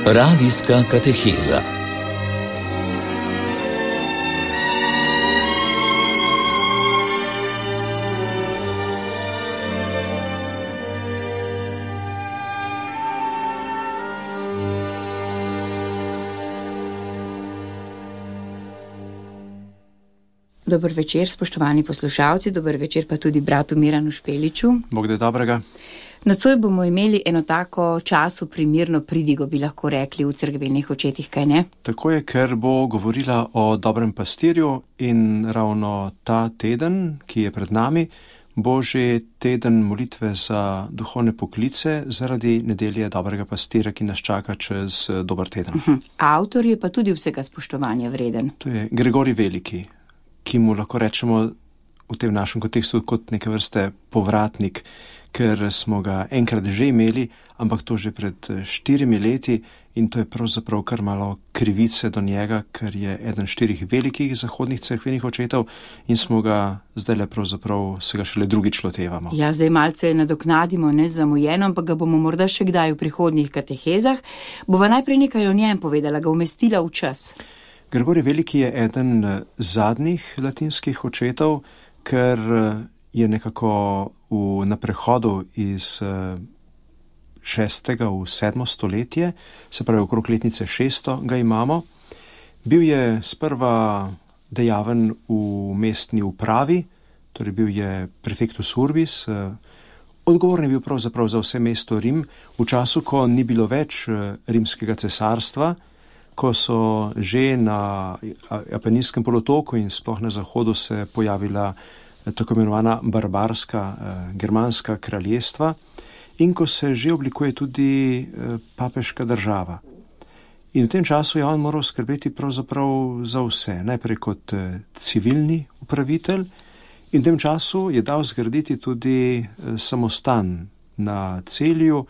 Radijska kateheza. Dober večer, spoštovani poslušalci, dober večer pa tudi bratu Miranu Špeliču. Bog da dobrega. Nocoj bomo imeli eno tako času primirno pridigo, bi lahko rekli v Cerkvenih očetih, kaj ne? Tako je, ker bo govorila o dobrem pastirju in ravno ta teden, ki je pred nami, bo že teden molitve za duhovne poklice zaradi nedelje dobrega pastira, ki nas čaka čez dober teden. Avtor je pa tudi vsega spoštovanja vreden. To je Gregorij Veliki, ki mu lahko rečemo v tem našem kontekstu kot neke vrste povratnik, ker smo ga enkrat že imeli, ampak to že pred 4 leti in to je pravzaprav kar malo krivice do njega, ker je eden 4 velikih zahodnih cerkvenih očetov in smo ga zdajle pravzaprav se ga šele drugič lotevamo. Ja, zdaj malce nadoknadimo nezamujeno, ampak ga bomo morda še kdaj v prihodnjih katehezah. Bova najprej nekaj o njem povedala, ga umestila v čas. Gregorij Veliki je eden zadnjih latinskih očetov, ker je nekako na prehodu iz 6. v 7. stoletje, se pravi okrog letnice 600 ga imamo. Bil je sprva dejaven v mestni upravi, torej bil je prefectus urbis, odgovoren je bil pravzaprav za vse mesto Rim, v času, ko ni bilo več rimskega cesarstva, ko so že na Apeninskem polotoku in sploh na zahodu se pojavila tako imenovana barbarska germanska kraljestva in ko se že oblikuje tudi papeška država. In v tem času je on moral skrbeti pravzaprav za vse, najprej kot civilni upravitelj in v tem času je dal zgraditi tudi samostan na Celju,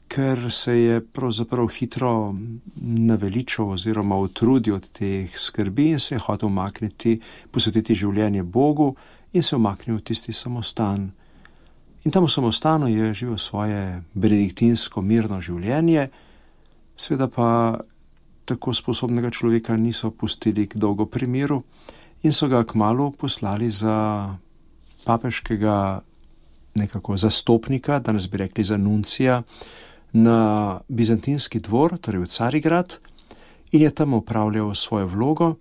ker se je pravzaprav hitro naveličal oziroma utrudil od teh skrbi in se je hotel posvetiti življenje Bogu in se umaknil v tisti samostan. In tam v samostanu je živel svoje benediktinsko mirno življenje, seveda pa tako sposobnega človeka niso pustili k dolgo primiru in so ga kmalu poslali za papeškega nekako zastopnika, danes bi rekli za nuncija, na bizantinski dvor, torej v Carigrad, in je tam opravljal svojo vlogo,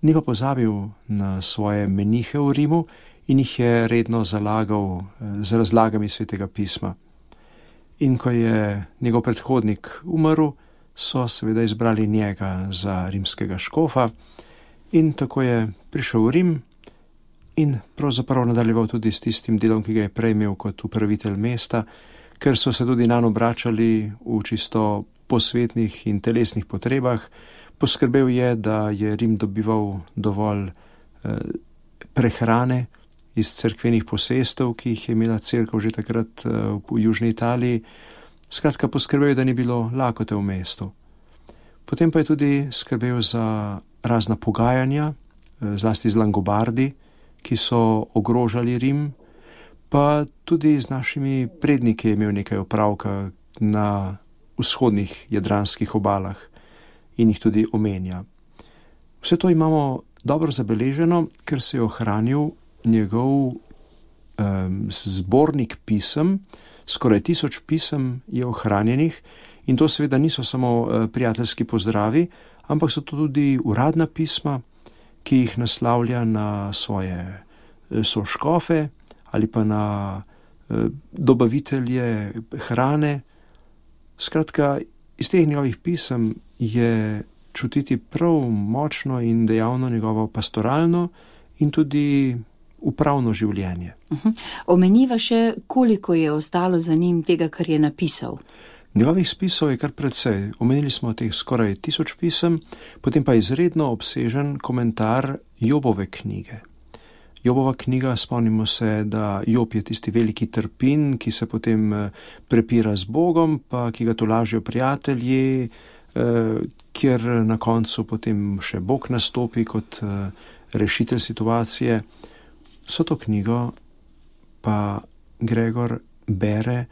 ni pa pozabil na svoje menihe v Rimu in jih je redno zalagal z razlagami svetega pisma. In ko je njegov predhodnik umrl, so seveda izbrali njega za rimskega škofa in tako je prišel v Rim in pravzaprav nadaljeval tudi s tistim delom, ki ga je prej imel kot upravitelj mesta, ker so se tudi nanj obračali v čisto posvetnih in telesnih potrebah. Poskrbel je, da je Rim dobival dovolj prehrane iz cerkvenih posestev, ki jih je imela cerkev že takrat v južni Italiji. Skratka, poskrbel je, da ni bilo lakote v mestu. Potem pa je tudi skrbel za razna pogajanja, zlasti z Langobardi, ki so ogrožali Rim, pa tudi z našimi predniki je imel nekaj opravka na vzhodnih jadranskih obalah in jih tudi omenja. Vse to imamo dobro zabeleženo, ker se je ohranil njegov zbornik pisem, skoraj 1000 pisem je ohranjenih in to seveda niso samo prijateljski pozdravi, ampak so to tudi uradna pisma, ki jih naslavlja na svoje soškofe ali pa na dobavitelje hrane. Skratka, iz teh njegovih pisem je čutiti prav močno in dejavno njegovo pastoralno in tudi upravno življenje. Omeniva še, koliko je ostalo za njim tega, kar je napisal. Njegovih spisov je kar precej. Omenili smo teh skoraj 1000 pisem, potem pa izredno obsežen komentar Jobove knjige. Jobova knjiga, spomnimo se, da Job je tisti veliki trpin, ki se potem prepira z Bogom, pa ki ga tolažijo prijatelji, kjer na koncu potem še Bog nastopi kot rešitelj situacije. Vso to knjigo pa Gregor bere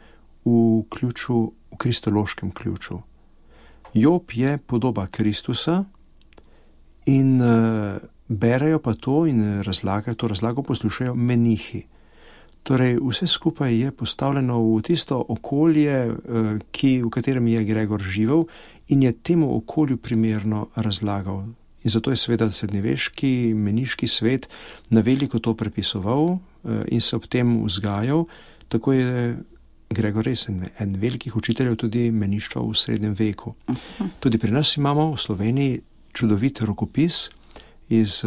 v kristološkem ključu. Job je podoba Kristusa in berejo pa to in to razlago poslušajo menihi. Torej, vse skupaj je postavljeno v tisto okolje, v katerem je Gregor živel in je temu okolju primerno razlagal. In zato je seveda srednjeveški meniški svet na veliko to prepisoval in se ob tem vzgajal. Tako je Gregor res en velikih učiteljev tudi meništva v srednjem veku. Tudi pri nas imamo v Sloveniji čudovit rokopis iz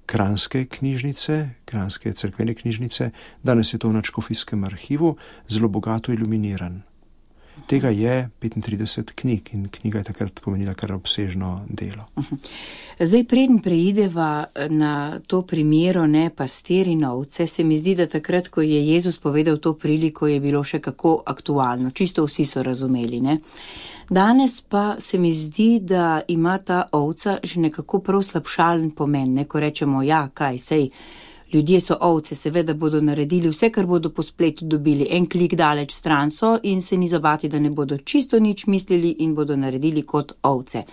kranjske knjižnice, kranjske cerkvene knjižnice. Danes je to v Nadškofijskem arhivu, zelo bogato iluminiran. Tega je 35 knjig in knjiga je takrat pomenila kar obsežno delo. Zdaj, preden preideva na to primero, pastir in ovce, se mi zdi, da takrat, ko je Jezus povedal to priliko, je bilo še kako aktualno. Čisto vsi so razumeli, ne? Danes pa se mi zdi, da ima ta ovca že nekako prav slabšalen pomen, ne? Ko rečemo, sej, ljudje so ovce, seveda bodo naredili vse, kar bodo po spletu dobili. En klik daleč stran so in se ni zabati, da ne bodo čisto nič mislili in bodo naredili kot ovce.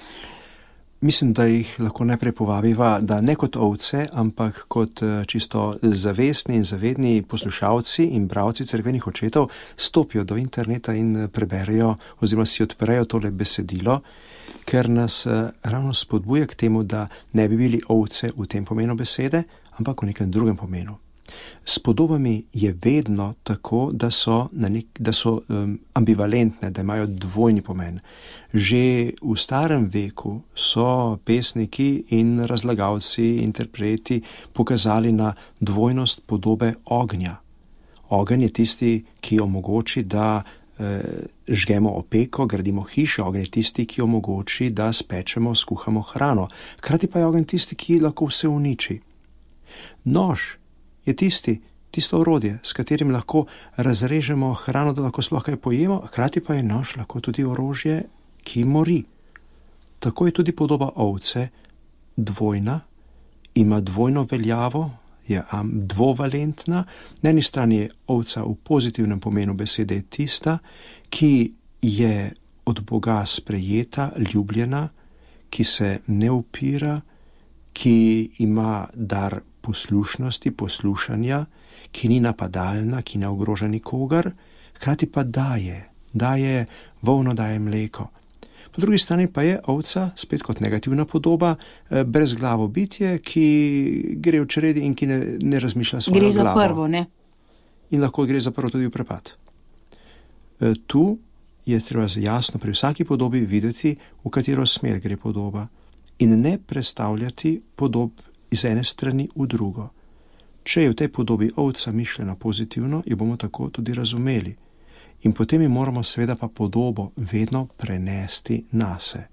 Mislim, da jih lahko najprej povabiva, da ne kot ovce, ampak kot čisto zavestni in zavedni poslušalci in bralci cerkvenih očetov stopijo do interneta in preberejo oziroma si odprejo tole besedilo, ker nas ravno spodbuja k temu, da ne bi bili ovce v tem pomenu besede, ampak v nekem drugem pomenu. S podobami je vedno tako, da so ambivalentne, da imajo dvojni pomen. Že v starem veku so pesniki in razlagalci, interpreti pokazali na dvojnost podobe ognja. Ogenj je tisti, ki omogoči, da žgemo opeko, gradimo hiše. Ogenj je tisti, ki omogoči, da spečemo, skuhamo hrano. Hkrati pa je ogenj tisti, ki lahko vse uniči. Nož je tisto orodje, s katerim lahko razrežemo hrano, da lahko sploh kaj pojemo, hkrati pa je nož lahko tudi orožje, ki mori. Tako je tudi podoba ovce dvojna, ima dvojno veljavo, je dvovalentna. Na eni strani je ovca v pozitivnem pomenu besede tista, ki je od Boga sprejeta, ljubljena, ki se ne upira, ki ima dar poslušnosti, poslušanja, ki ni napadalna, ki ne ogroža nikogar, hkrati pa daje volno, daje mleko. Po drugi strani pa je ovca, spet kot negativna podoba, brezglavo bitje, ki gre v čredi in ki ne razmišlja svojo glavo. Gre za prvo, ne? In lahko gre za prvo tudi v prepad. Tu je treba jasno pri vsaki podobi videti, v katero smer gre podoba in ne prestavljati podob iz ene strani v drugo. Če je v tej podobi ovca mišljena pozitivno, jo bomo tako tudi razumeli. In potem jo moramo seveda pa podobo vedno prenesti nase.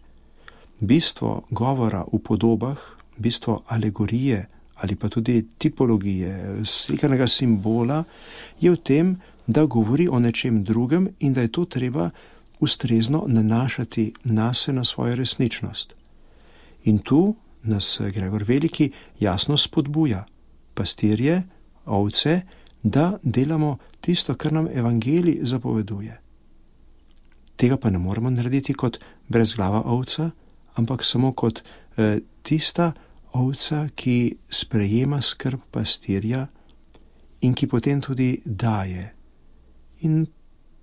Bistvo govora v podobah, bistvo alegorije ali pa tudi tipologije, slikanega simbola, je v tem, da govori o nečem drugem in da je to treba ustrezno nanašati nase na svojo resničnost. In tu nas Gregor Veliki jasno spodbuja, pastirje, ovce, da delamo tisto, kar nam evangelij zapoveduje. Tega pa ne moremo narediti kot brezglava ovca, ampak samo kot tista ovca, ki sprejema skrb pastirja in ki potem tudi daje. In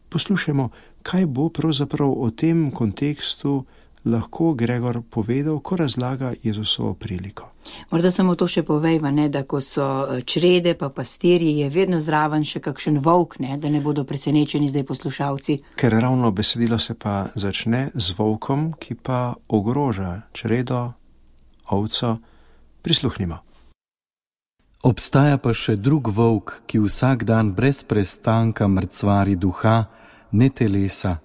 poslušajmo, kaj bo pravzaprav o tem kontekstu lahko Gregor povedal, ko razlaga Jezusovo priliko. Morda samo to še povejva, da ko so črede pa pastirji, je vedno zraven še kakšen volk, da ne bodo presenečeni zdaj poslušalci. Ker ravno besedilo se pa začne z volkom, ki pa ogroža čredo, ovco. Prisluhnimo. Obstaja pa še drug volk, ki vsak dan brez prestanka mrcvari duha, ne telesa.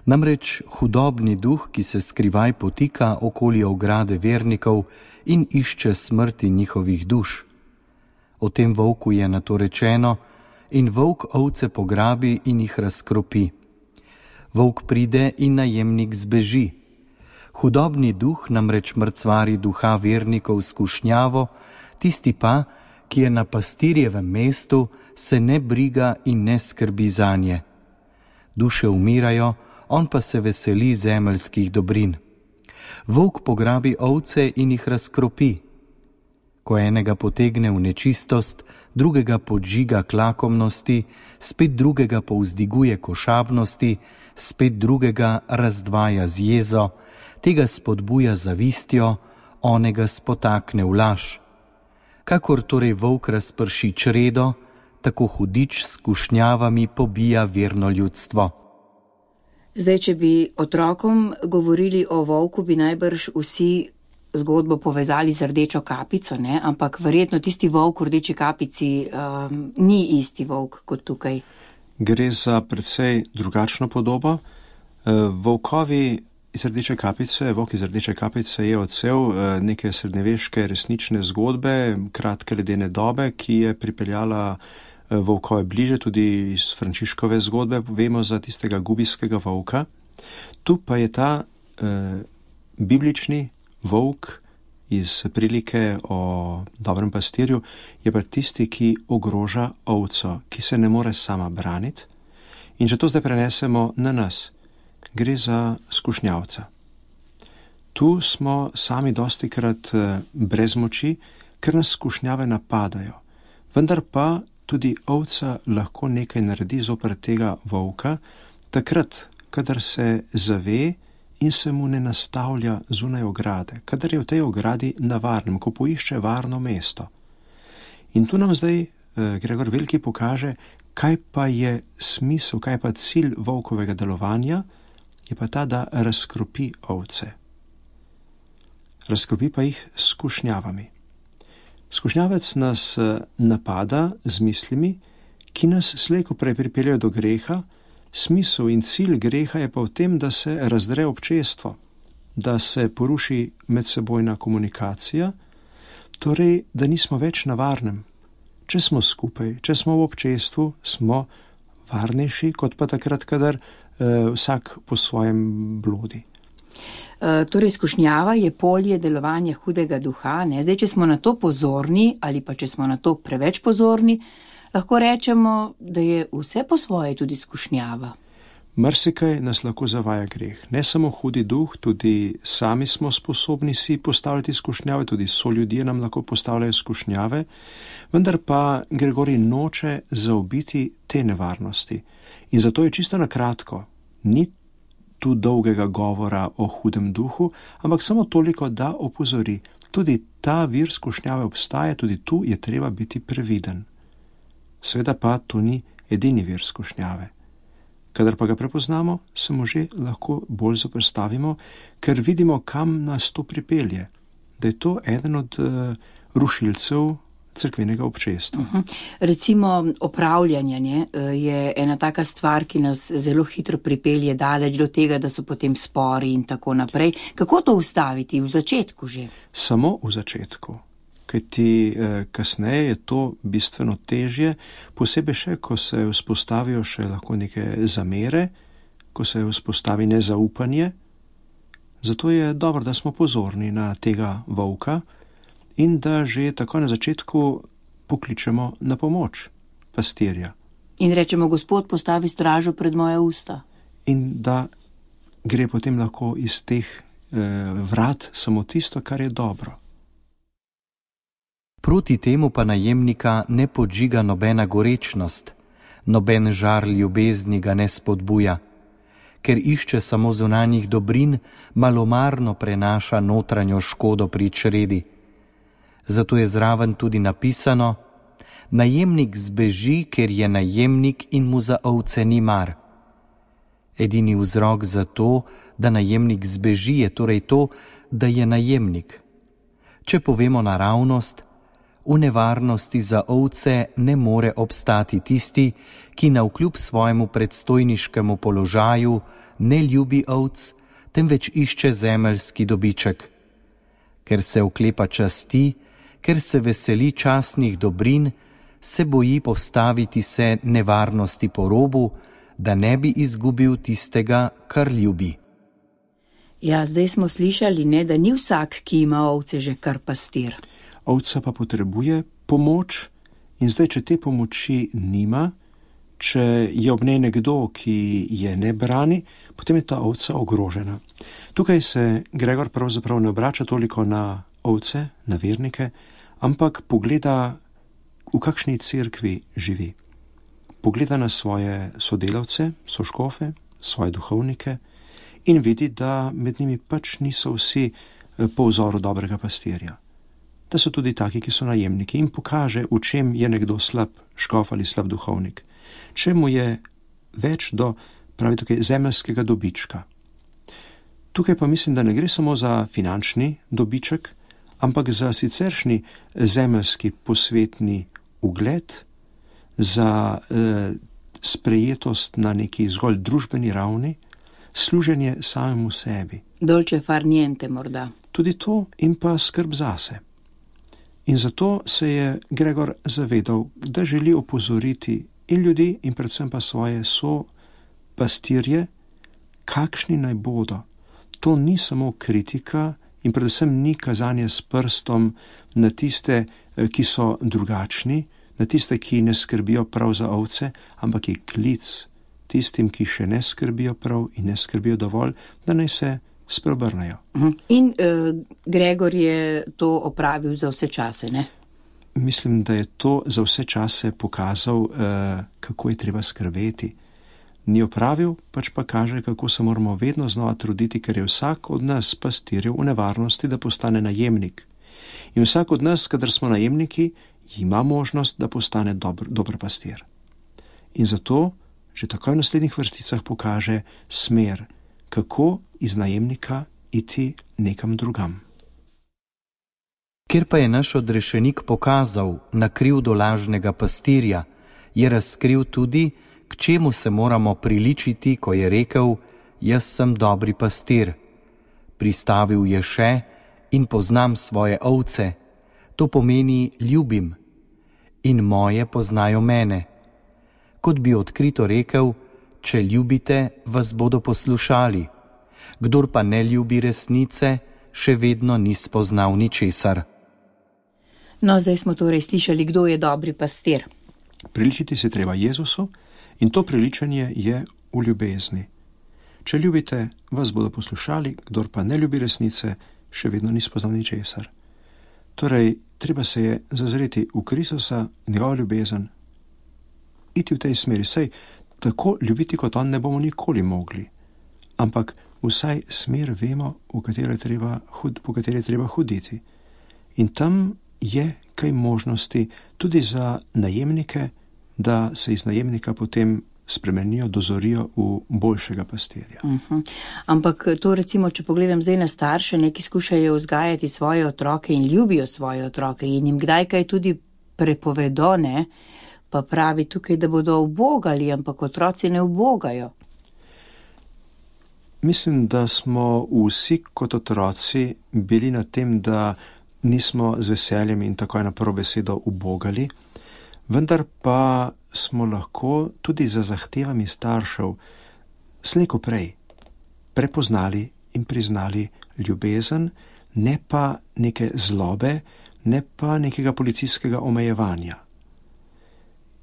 Namreč hudobni duh, ki se skrivaj potika okoli ograde vernikov in išče smrti njihovih duš. O tem volku je nato rečeno: in volk ovce pograbi in jih razkropi. Volk pride in najemnik zbeži. Hudobni duh namreč mrcvari duha vernikov skušnjavo, tisti pa, ki je na pastirjevem mestu, se ne briga in ne skrbi zanje. Duše umirajo, on pa se veseli zemeljskih dobrin. Volk pograbi ovce in jih razkropi. Ko enega potegne v nečistost, drugega podžiga k lakomnosti, spet drugega povzdiguje k ošabnosti, spet drugega razdvaja z jezo, tega spodbuja zavistjo, onega spotakne v laž. Kakor torej volk razprši čredo, tako hudič s skušnjavami pobija verno ljudstvo. Zdaj, če bi otrokom govorili o volku, bi najbrž vsi zgodbo povezali z rdečo kapico, ne? Ampak verjetno tisti volk v rdeči kapici ni isti volk kot tukaj. Gre za precej drugačno podobo. Volkovi iz rdeče kapice, volk iz rdeče kapice je odsev neke srednjeveške resnične zgodbe, kratke ledene dobe, ki je pripeljala volkove bliže, tudi iz Frančiškove zgodbe, vemo za tistega gubijskega volka. Tu pa je ta biblični volk iz prilike o dobrem pastirju, je pa tisti, ki ogroža ovco, ki se ne more sama braniti. In če to zdaj prenesemo na nas, gre za skušnjavca. Tu smo sami dostikrat brez moči, ker nas skušnjave napadajo. Vendar pa tudi ovca lahko nekaj naredi zoper tega volka, takrat, kadar se zave in se mu ne nastavlja zunaj ograde, kadar je v tej ogradi na varnem, ko poišče varno mesto. In tu nam zdaj Gregor Veliki pokaže, kaj pa je smisel, kaj pa cilj volkovega delovanja, je pa ta, da razkropi ovce. Razkropi pa jih s skušnjavami. Skušnjavec nas napada z mislimi, ki nas slej ko prej pripeljajo do greha. Smisel in cilj greha je pa v tem, da se razdre občestvo, da se poruši medsebojna komunikacija, torej, da nismo več na varnem. Če smo skupaj, če smo v občestvu, smo varnejši, kot pa takrat, kadar vsak po svojem blodi. Torej, skušnjava je polje delovanja hudega duha, ne? Zdaj, če smo na to pozorni ali pa če smo na to preveč pozorni, lahko rečemo, da je vse po svoje tudi skušnjava. Marsikaj nas lahko zavaja greh. Ne samo hudi duh, tudi sami smo sposobni si postavljati skušnjave, tudi soljudje nam lahko postavljajo skušnjave, vendar pa Gregorij noče zaobiti te nevarnosti. In zato je čisto na kratko, ni tu dolgega govora o hudem duhu, ampak samo toliko, da opozori. Tudi ta vir skušnjave obstaja, tudi tu je treba biti previden. Sveda pa to ni edini vir skušnjave. Kadar pa ga prepoznamo, se mu že lahko bolj zoperstavimo, ker vidimo, kam nas to pripelje, da je to eden od rušilcev cerkvenega občestva. Recimo opravljanje je ena taka stvar, ki nas zelo hitro pripelje daleč do tega, da so potem spori in tako naprej. Kako to ustaviti? V začetku že? Samo v začetku. Kajti kasneje je to bistveno težje, posebej še, ko se vzpostavijo še lahko neke zamere, ko se vzpostavi nezaupanje. Zato je dobro, da smo pozorni na tega volka in da že tako na začetku pokličemo na pomoč pastirja. In rečemo, Gospod, postavi stražo pred moje usta. In da gre potem lahko iz teh vrat samo tisto, kar je dobro. Proti temu pa najemnika ne podžiga nobena gorečnost, noben žar ljubezni ga ne spodbuja, ker išče samo zunanjih dobrin, malomarno prenaša notranjo škodo pri čredi. Zato je zraven tudi napisano: najemnik zbeži, ker je najemnik in mu za ovce ni mar. Edini vzrok za to, da najemnik zbeži, je torej to, da je najemnik. Če povemo naravnost, v nevarnosti za ovce ne more obstati tisti, ki navkljub svojemu predstojniškemu položaju ne ljubi ovc, temveč išče zemeljski dobiček. Ker se oklepa časti, ker se veseli častnih dobrin, se boji postaviti se nevarnosti po robu, da ne bi izgubil tistega, kar ljubi. Ja, zdaj smo slišali, da ni vsak, ki ima ovce, že kar pastir. Ovca pa potrebuje pomoč in zdaj, če te pomoči nima, Če je ob njej nekdo, ki je ne brani, potem je ta ovca ogrožena. Tukaj se Gregor pravzaprav ne obrača toliko na ovce, na vernike, ampak pogleda, v kakšni cerkvi živi. Pogleda na svoje sodelavce, soškofe, svoje duhovnike in vidi, da med njimi pač niso vsi po vzoru dobrega pastirja. Da so tudi taki, ki so najemniki, in pokaže, v čem je nekdo slab škof ali slab duhovnik. Če mu je več do, pravi tukaj, zemeljskega dobička. Tukaj pa mislim, da ne gre samo za finančni dobiček, ampak za siceršnji zemeljski posvetni ugled, za sprejetost na neki zgolj družbeni ravni, služenje samemu sebi. Dolce far niente morda. Tudi to in pa skrb zase. In zato se je Gregor zavedal, da želi opozoriti in ljudi in predvsem pa svoje pastirje, kakšni naj bodo. To ni samo kritika in predvsem ni kazanje s prstom na tiste, ki so drugačni, na tiste, ki ne skrbijo prav za ovce, ampak je klic tistim, ki še ne skrbijo prav in ne skrbijo dovolj, da naj se spreobrnejo. In Gregor je to opravil za vse čase, ne? Mislim, da je to za vse čase pokazal, kako je treba skrbeti. Ni opravil, pač pa kaže, kako se moramo vedno znova truditi, ker je vsak od nas pastirjev v nevarnosti, da postane najemnik. In vsak od nas, kadar smo najemniki, ima možnost, da postane dober pastir. In zato že takoj v naslednjih vrsticah pokaže smer, kako iz najemnika iti nekam drugam. Ker pa je naš odrešenik pokazal na krivdo lažnega pastirja, je razkril tudi, k čemu se moramo priličiti, ko je rekel: jaz sem dobri pastir. Pristavil je še: in poznam svoje ovce. To pomeni ljubim. In moje poznajo mene. Kot bi odkrito rekel: če ljubite, vas bodo poslušali. Kdor pa ne ljubi resnice, še vedno ni spoznal ničesar. No, zdaj smo torej slišali, kdo je dobri pastir. Priličiti se treba Jezusu in to priličanje je v ljubezni. Če ljubite, vas bodo poslušali, kdor pa ne ljubi resnice, še vedno ni spoznal ničesar. Torej, treba se je zazreti v Kristusa, njegov ljubezen, iti v tej smeri. Saj tako ljubiti kot on ne bomo nikoli mogli, ampak vsaj smer vemo, po kateri je treba hoditi. In tam je kaj možnosti tudi za najemnike, da se iz najemnika potem spremenijo, dozorijo v boljšega pastirja. Ampak to recimo, če pogledam zdaj na starše, neki skušajo vzgajati svoje otroke in ljubijo svoje otroke in jim kdaj kaj tudi prepovedo, ne? Pa pravi tukaj, da bodo ubogali, ampak otroci ne ubogajo. Mislim, da smo vsi kot otroci bili na tem, da nismo z veseljem in takoj na prvo besedo ubogali, vendar pa smo lahko tudi za zahtevami staršev slej ko prej prepoznali in priznali ljubezen, ne pa neke zlobe, ne pa nekega policijskega omejevanja.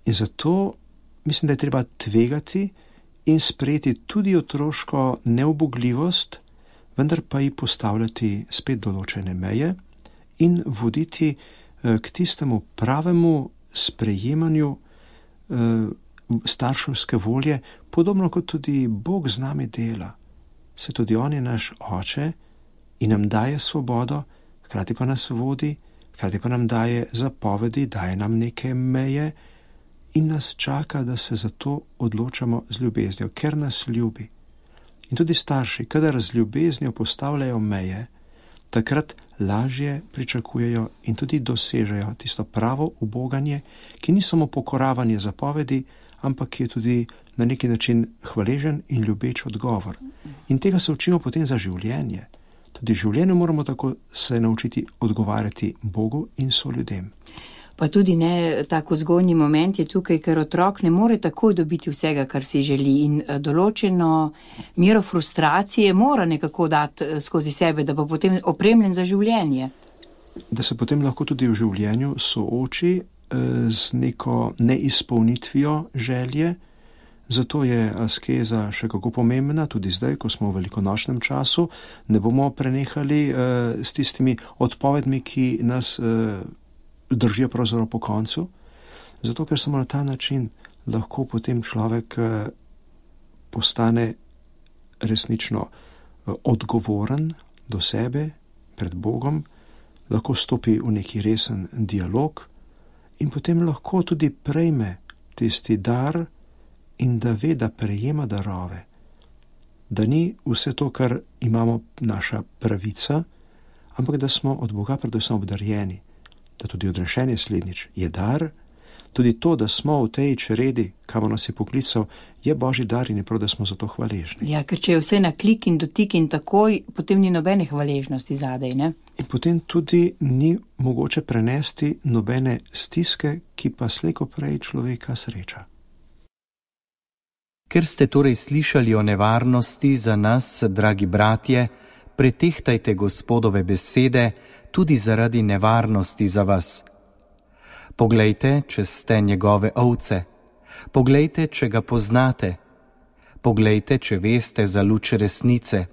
In zato mislim, da je treba tvegati in sprejeti tudi otroško neubogljivost, vendar pa ji postavljati spet določene meje in voditi k tistemu pravemu sprejemanju starševske volje, podobno kot tudi Bog z nami dela. Se tudi on je naš oče in nam daje svobodo, hkrati pa nas vodi, hkrati pa nam daje zapovedi, daje nam neke meje in nas čaka, da se za to odločamo z ljubeznijo, ker nas ljubi. In tudi starši, kadar z ljubeznijo postavljajo meje, takrat lažje pričakujejo in tudi dosežejo tisto pravo uboganje, ki ni samo pokoravanje zapovedi, ampak je tudi na neki način hvaležen in ljubeč odgovor. In tega se učimo potem za življenje. Tudi v življenju moramo tako se naučiti odgovarjati Bogu in soljudem. Pa tudi ne, tako zgodnji moment je tukaj, ker otrok ne more takoj dobiti vsega, kar si želi in določeno mero frustracije mora nekako dati skozi sebe, da bo potem opremljen za življenje. Da se potem lahko tudi v življenju sooči z neko neizpolnitvijo želje, Zato je askeza še kako pomembna, tudi zdaj, ko smo v velikonočnem času, ne bomo prenehali s tistimi odpovedmi, ki nas držijo pravzaprav po koncu, zato ker samo na ta način lahko potem človek postane resnično odgovoren do sebe pred Bogom, lahko stopi v neki resen dialog in potem lahko tudi prejme tisti dar in da ve, da prejema darove, da ni vse to, kar imamo, naša pravica, ampak da smo od Boga predvsem obdarjeni, da tudi odrešenje slednjič je dar, tudi to, da smo v tej čredi, kamor nas je poklical, je Božji dar in je prav, da smo za to hvaležni. Ja, ker če je vse na klik in dotik in takoj, potem ni nobene hvaležnosti zadej, ne? In potem tudi ni mogoče prenesti nobene stiske, ki pa slej ko prej človeka sreča. Ker ste torej slišali o nevarnosti za nas, dragi bratje, pretehtajte Gospodove besede tudi zaradi nevarnosti za vas. Poglejte, če ste njegove ovce, poglejte, če ga poznate, poglejte, če veste za luč resnice.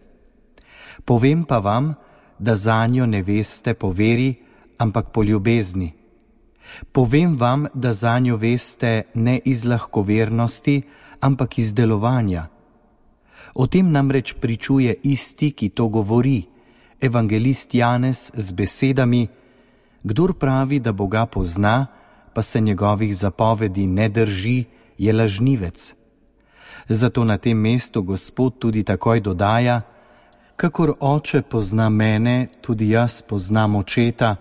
Povem pa vam, da zanjo ne veste po veri, ampak po ljubezni. Povem vam, da zanjo veste ne iz lahkovernosti, ampak iz delovanja. O tem namreč pričuje isti, ki to govori, evangelist Janez z besedami: kdor pravi, da Boga pozna, pa se njegovih zapovedi ne drži, je lažnivec. Zato na tem mestu Gospod tudi takoj dodaja: kakor oče pozna mene, tudi jaz poznam očeta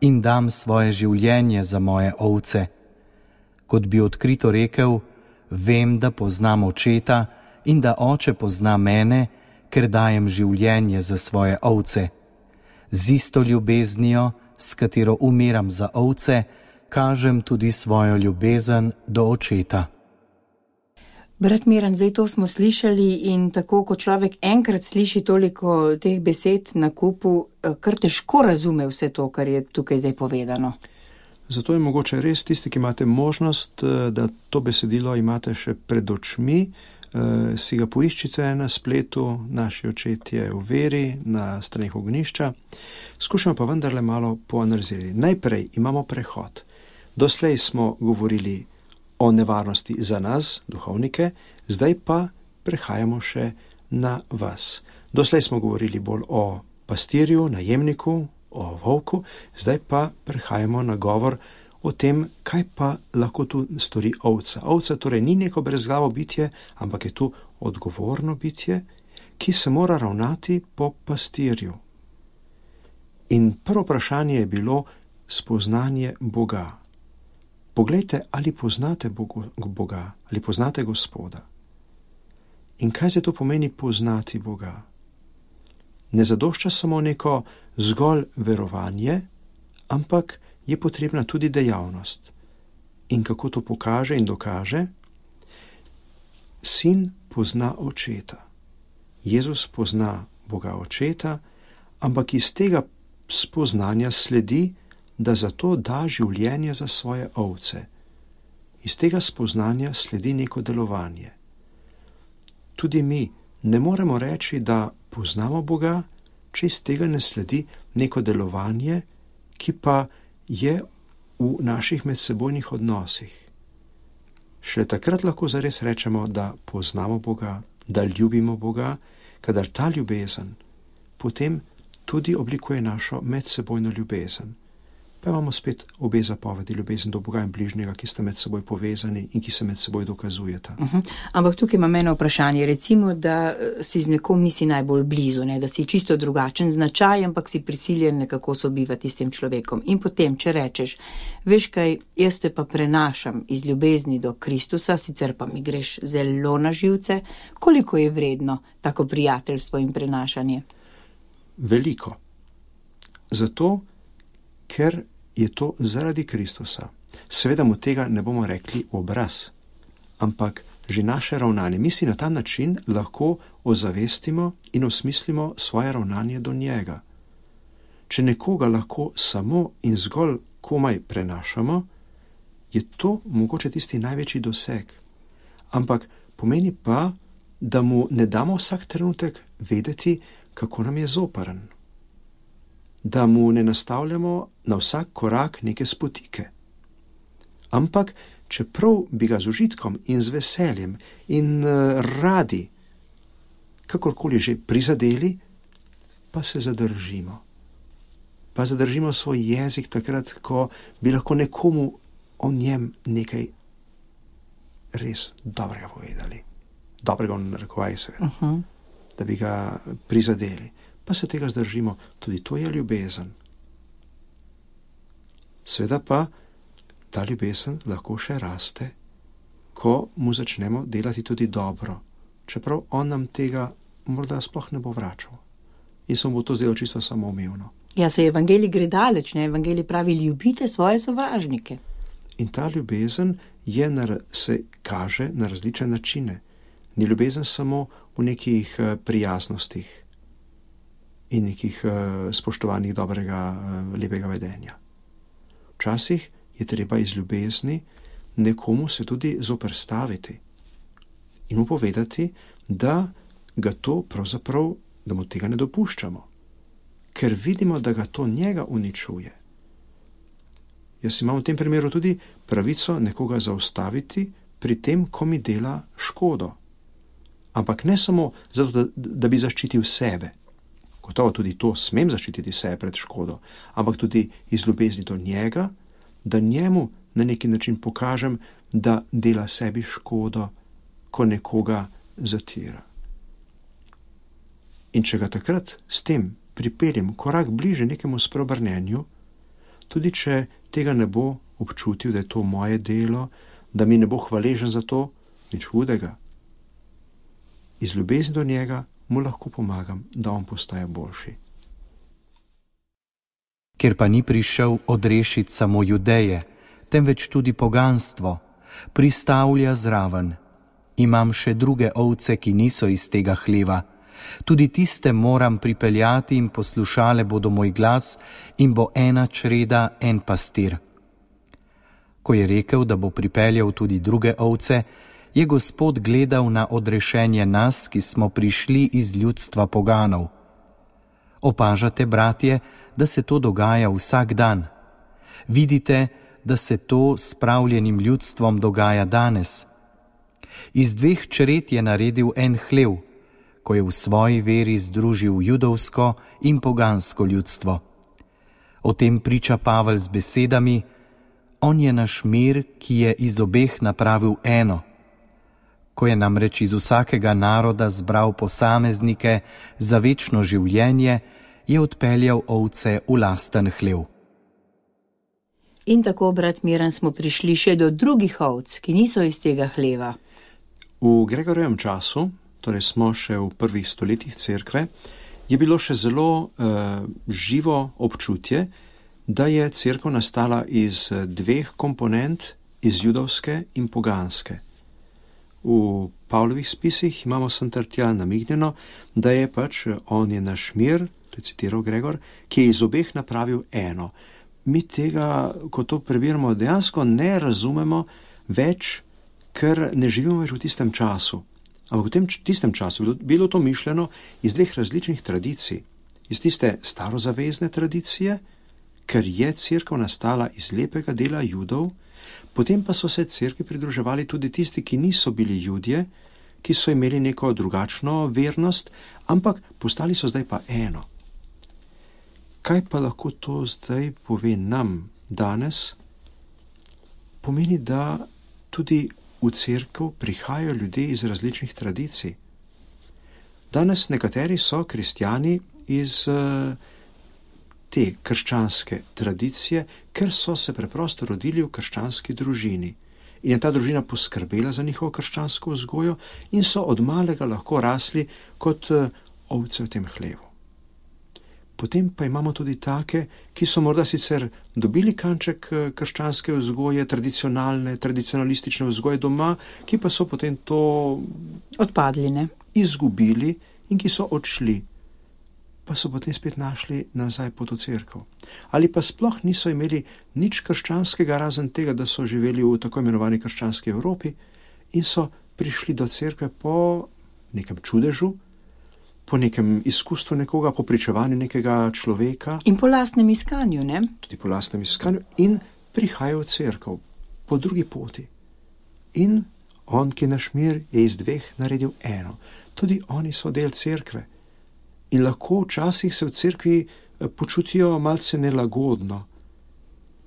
in dam svoje življenje za moje ovce. Kot bi odkrito rekel, vem, da poznam očeta in da oče pozna mene, ker dajem življenje za svoje ovce. Z isto ljubeznijo, s katero umiram za ovce, kažem tudi svojo ljubezen do očeta. Brat Miran, zdaj to smo slišali in tako, ko človek enkrat sliši toliko teh besed na kupu, kar težko razume vse to, kar je tukaj zdaj povedano. Zato je mogoče res tisti, ki imate možnost, da to besedilo imate še pred očmi, si ga poiščite na spletu, Naši očetje v veri, na straneh Ognišča. Skušamo pa vendarle malo poanalizirati. Najprej imamo prehod. Doslej smo govorili o nevarnosti za nas, duhovnike, zdaj pa prehajamo še na vas. Doslej smo govorili bolj o pastirju, najemniku, o volku, zdaj pa prehajamo na govor o tem, kaj pa lahko tu stori ovca. Ovca torej ni neko brezglavo bitje, ampak je tu odgovorno bitje, ki se mora ravnati po pastirju. In prvo vprašanje je bilo spoznanje Boga. Poglejte, ali poznate Boga, ali poznate Gospoda. In kaj se to pomeni poznati Boga? Ne zadošča samo neko zgolj verovanje, ampak je potrebna tudi dejavnost. In kako to pokaže in dokaže? Sin pozna očeta. Jezus pozna Boga očeta, ampak iz tega spoznanja sledi, da zato da življenje za svoje ovce. Iz tega spoznanja sledi neko delovanje. Tudi mi ne moremo reči, da poznamo Boga, če iz tega ne sledi neko delovanje, ki pa je v naših medsebojnih odnosih. Šele takrat lahko zares rečemo, da poznamo Boga, da ljubimo Boga, kadar ta ljubezen potem tudi oblikuje našo medsebojno ljubezen. Pa imamo spet obe zapovedi, ljubezen do Boga in bližnjega, ki sta med seboj povezani in ki se med seboj dokazujeta. Ampak tukaj imam eno vprašanje. Recimo, da si z nekom nisi najbolj blizu, ne? Da si čisto drugačen značaj, ampak si prisiljen nekako sobivati s tem človekom. In potem, če rečeš, veš kaj, jaz te pa prenašam iz ljubezni do Kristusa, sicer pa mi greš zelo na živce, koliko je vredno tako prijateljstvo in prenašanje? Veliko. Zato, ker je to zaradi Kristusa. Seveda mu tega ne bomo rekli v obraz, ampak že naše ravnanje. Mi si na ta način lahko ozavestimo in osmislimo svoje ravnanje do njega. Če nekoga lahko samo in zgolj komaj prenašamo, je to mogoče tisti največji doseg. Ampak Pomeni pa, da mu ne damo vsak trenutek vedeti, kako nam je zoprn. Da mu ne nastavljamo na vsak korak neke spotike. Ampak, čeprav bi ga z užitkom in z veseljem in radi, kakorkoli že prizadeli, pa se zadržimo. Pa zadržimo svoj jezik takrat, ko bi lahko nekomu o njem nekaj res dobrega povedali. Dobrega v narekovaji seveda. Da bi ga prizadeli. Pa se tega zdržimo. Tudi to je ljubezen. Sveda pa ta ljubezen lahko še raste, ko mu začnemo delati tudi dobro, čeprav on nam tega morda sploh ne bo vračal. In se mu bo to zdelo čisto samoumevno. Ja, se evangelij gre daleč, ne? Evangelij pravi, ljubite svoje sovražnike. In ta ljubezen se kaže na različne načine. Ni ljubezen samo v nekih prijaznostih in nekih spoštovanih dobrega, lepega vedenja. Včasih je treba iz ljubezni nekomu se tudi zoperstaviti in mu povedati, da ga to pravzaprav, da mu tega ne dopuščamo, ker vidimo, da ga to njega uničuje. Jaz imam v tem primeru tudi pravico nekoga zaustaviti pri tem, ko mi dela škodo. Ampak ne samo zato, da bi zaščitil sebe. Gotovo tudi to smem zaščititi sebe pred škodo, ampak tudi iz ljubezni do njega, da njemu na neki način pokažem, da dela sebi škodo, ko nekoga zatira. In če ga takrat s tem pripeljem korak bliže nekemu spreobrnenju, tudi če tega ne bo občutil, da je to moje delo, da mi ne bo hvaležen za to, nič hudega. Iz ljubezni do njega mu lahko pomagam, da on postaje boljši. Ker pa ni prišel odrešiti samo Judeje, temveč tudi poganstvo, pristavlja zraven. Imam še druge ovce, ki niso iz tega hleva. Tudi tiste moram pripeljati in poslušale bodo moj glas in bo ena čreda, en pastir. Ko je rekel, da bo pripeljal tudi druge ovce, je Gospod gledal na odrešenje nas, ki smo prišli iz ljudstva poganov. Opažate, bratje, da se to dogaja vsak dan. Vidite, da se to s spravljenim ljudstvom dogaja danes. Iz dveh čred je naredil en hlev, ko je v svoji veri združil judovsko in pogansko ljudstvo. O tem priča Pavel z besedami: On je naš mir, ki je iz obeh napravil eno. Ko je namreč iz vsakega naroda zbral posameznike za večno življenje, je odpeljal ovce v lasten hlev. In tako, brat Miran, smo prišli še do drugih ovc, ki niso iz tega hleva. V Gregorjevem času, torej smo še v prvih stoletjih cerkve, je bilo še zelo živo občutje, da je cerkev nastala iz dveh komponent, iz judovske in poganske. V Pavlovih spisih imamo sem ter tja namignjeno, da je on je naš mir, to je citiral Gregor, ki je iz obeh napravil eno. Mi tega, ko to prebiramo, dejansko ne razumemo več, ker ne živimo več v tistem času. Ampak v tem tistem času bilo to mišljeno iz dveh različnih tradicij. Iz tiste starozavezne tradicije, ker je cerkev nastala iz lepega dela Judov, potem pa so se cerkvi pridruževali tudi tisti, ki niso bili Judje, ki so imeli neko drugačno vernost, ampak postali so zdaj pa eno. Kaj pa lahko to zdaj pove nam danes? Pomeni, da tudi v cerkev prihajajo ljudje iz različnih tradicij. Danes nekateri so kristjani iz te krščanske tradicije, ker so se preprosto rodili v krščanski družini. In je ta družina poskrbela za njihovo krščansko vzgojo in so od malega lahko rasli kot ovce v tem hlevu. Potem pa imamo tudi take, ki so morda sicer dobili kanček krščanske vzgoje, tradicionalistične vzgoje doma, ki pa so potem to odpadli, ne? Izgubili in ki so odšli, pa so potem spet našli nazaj pot v cerkev. Ali pa sploh niso imeli nič krščanskega, razen tega, da so živeli v tako imenovani krščanski Evropi in so prišli do cerkve po nekem čudežu, po nekem izkustvu nekoga, po pričevanju nekega človeka. In po lastnem iskanju, ne? Tudi po lastnem iskanju in prihajajo v cerkev po drugi poti. In on, ki je naš mir, je iz dveh naredil eno. Tudi oni so del cerkve. In lahko včasih se v cerkvi počutijo malce nelagodno,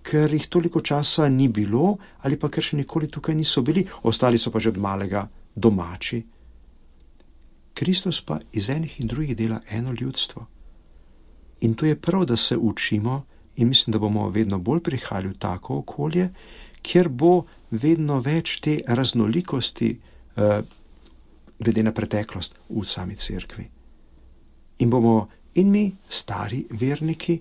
ker jih toliko časa ni bilo ali pa ker še nikoli tukaj niso bili, ostali so pa že od malega domači. Kristus pa iz enih in drugih dela eno ljudstvo. In to je prav, da se učimo in mislim, da bomo vedno bolj prihajali v tako okolje, kjer bo vedno več te raznolikosti glede na preteklost v sami cerkvi. In bomo in mi, stari verniki,